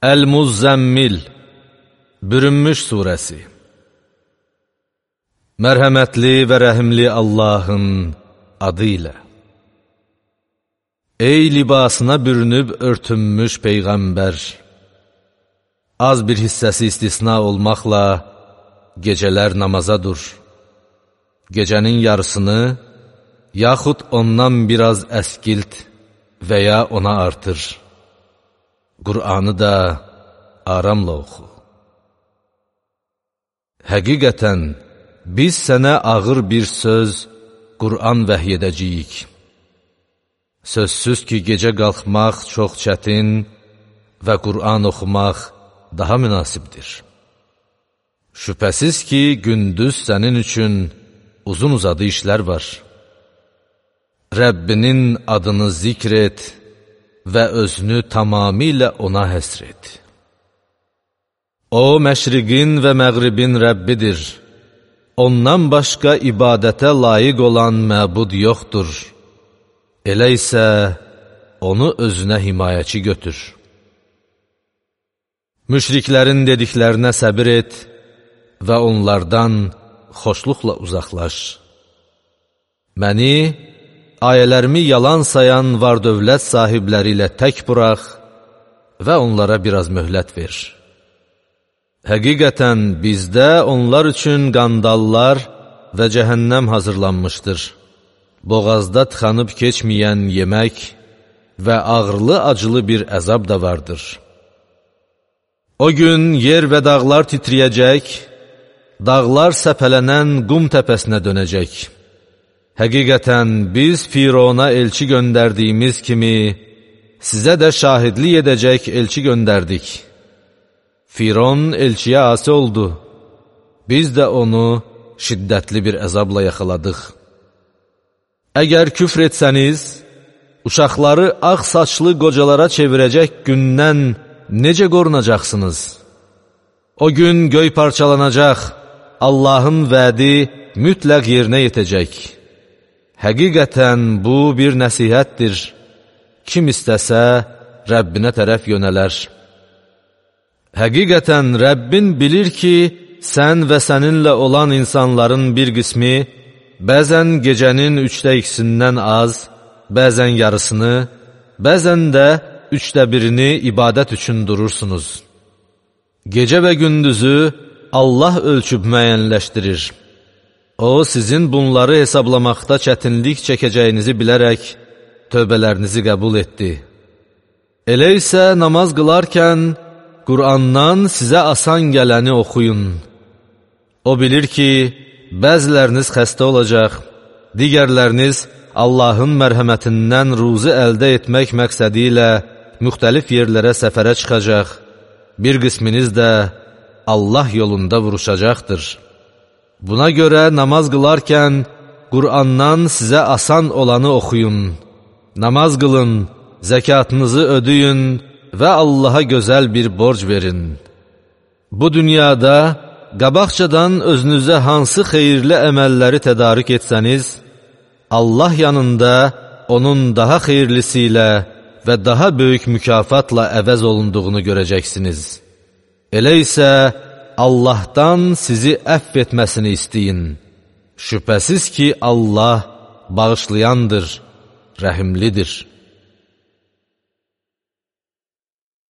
Əl-Muzzəmmil, Bürünmüş surəsi. Mərhəmətli və rəhimli Allahın adı ilə. Ey libasına bürünüb örtünmüş Peyğəmbər! Az bir hissəsi istisna olmaqla gecələr namaza dur. Gecənin yarısını, yaxud ondan biraz əskilt və ya ona artır. Qur'anı da aramla oxu. Həqiqətən, biz sənə ağır bir söz, Qur'an vəhy edəcəyik. Sözsüz ki, gecə qalxmaq çox çətin və Qur'an oxumaq daha münasibdir. Şübhəsiz ki, gündüz sənin üçün uzun-uzadı işlər var. Rəbbinin adını zikr et və özünü tamamilə ona həsr et. O, məşriqin və məğribin Rəbbidir. Ondan başqa ibadətə layiq olan məbud yoxdur. Elə isə onu özünə himayəçi götür. Müşriklərin dediklərinə səbir et və onlardan xoşluqla uzaqlaş. Məni, ayələrimi yalan sayan var-dövlət sahibləri ilə tək burax və onlara biraz möhlət ver. Həqiqətən bizdə onlar üçün qandallar və cəhənnəm hazırlanmışdır. Boğazda tıxanıb keçməyən yemək və ağırlı-acılı bir əzab da vardır. O gün yer və dağlar titriyəcək, dağlar səpələnən qum təpəsinə dönəcək. Həqiqətən biz Firona elçi göndərdiyimiz kimi, sizə də şahidlik edəcək elçi göndərdik. Firon elçiyə asi oldu. Biz də onu şiddətli bir əzabla yaxaladıq. Əgər küfr etsəniz, uşaqları ağ saçlı qocalara çevirəcək gündən necə qorunacaqsınız? O gün göy parçalanacaq, Allahın vədi mütləq yerinə yetəcək. Həqiqətən bu bir nəsihətdir. Kim istəsə, Rəbbinə tərəf yönələr. Həqiqətən Rəbbin bilir ki, sən və səninlə olan insanların bir qismi, bəzən gecənin 2/3-dən az, bəzən yarısını, bəzən də 1/3 ibadət üçün durursunuz. Gecə və gündüzü Allah ölçüb müəyyənləşdirir. O, sizin bunları hesablamaqda çətinlik çəkəcəyinizi bilərək tövbələrinizi qəbul etdi. Elə isə namaz qılarkən Qur'andan sizə asan gələni oxuyun. O bilir ki, bəziləriniz xəstə olacaq, digərləriniz Allahın mərhəmətindən ruzi əldə etmək məqsədi ilə müxtəlif yerlərə səfərə çıxacaq, bir qisminiz də Allah yolunda vuruşacaqdır. Buna görə namaz qılarkən Qur'andan sizə asan olanı oxuyun, namaz qılın, zəkatınızı ödəyin və Allaha gözəl bir borc verin. Bu dünyada qabaqcadan özünüzə hansı xeyirli əməlləri tədarik etsəniz, Allah yanında onun daha xeyirlisi ilə və daha böyük mükafatla əvəz olunduğunu görəcəksiniz. Elə isə Allahdan sizi əfv etməsini istəyin. Şübhəsiz ki, Allah bağışlayandır, rəhimlidir.